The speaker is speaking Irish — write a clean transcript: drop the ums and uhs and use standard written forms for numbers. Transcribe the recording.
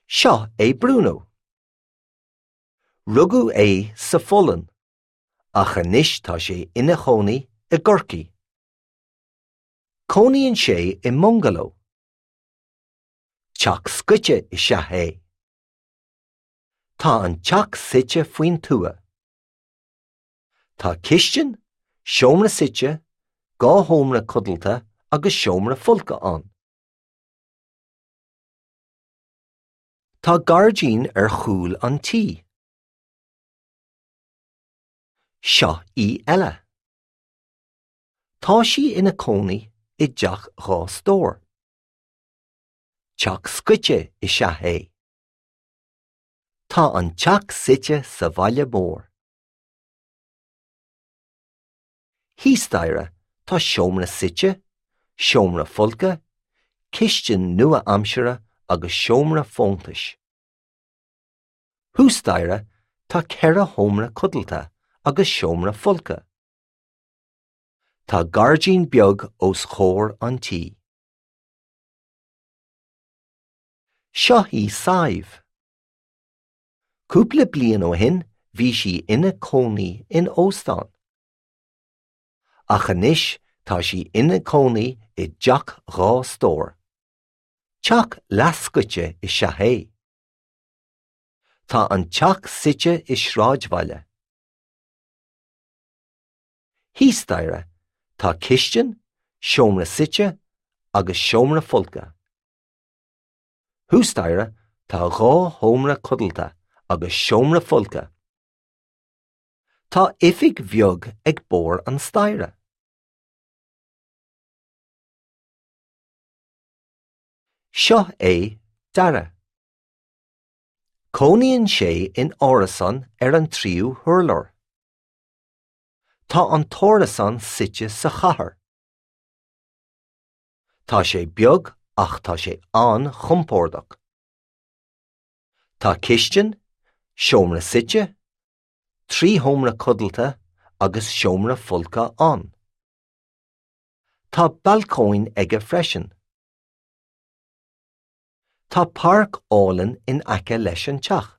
Seo é Bruno. Rugadh é sa Pholainn, ach anois tá sé ina chónaí i gCorcaigh. Cónaíonn sé i mbungaló. Teach scoite is ea é. Tá an teach suite faoin tuath. Tá cistin, seomra suite, 2 sheomra codlata agus seomra folctha ann. Tá gairdín ar chúl an tí. Seo í Ella. Tá sí ina cónaí i dteach 2 stór. Teach scoite is ea é. Tá an teach suite sa bhaile mór. Thíos staighre tá seomra suite, seomra folctha, cistin nua-aimseartha agus seomra fóntais. Thuas staighre tá 4 sheomra codlata agus seomra folctha. Tá gairdín beag os comhair an tí. Seo í Sadhbh. Cúpla bliain ó shin bhí sí ina cónaí in óstán. Ach anois tá sí ina cónaí i dteach 2 stór. Teach leathscoite is ea é. Tá an teach suite i sráidbhaile. Thíos staighre tá cistin, seomra suite agus seomra folctha. Thuas staighre tá 2 sheomra codlata agus seomra folctha. Tá oifig bheag ag barr an staighre. Seo é Dara. Cónaíonn sé in árasán ar an tríú hurlár. Tá an t-árasán suite sa chathair. Tá sé beag ach tá sé an-chompordach. Tá cistin, seomra suite, 3 sheomra codlata agus seomra folctha ann. Tá balcóin aige freisin. Tá páirc álainn in aice leis an teach.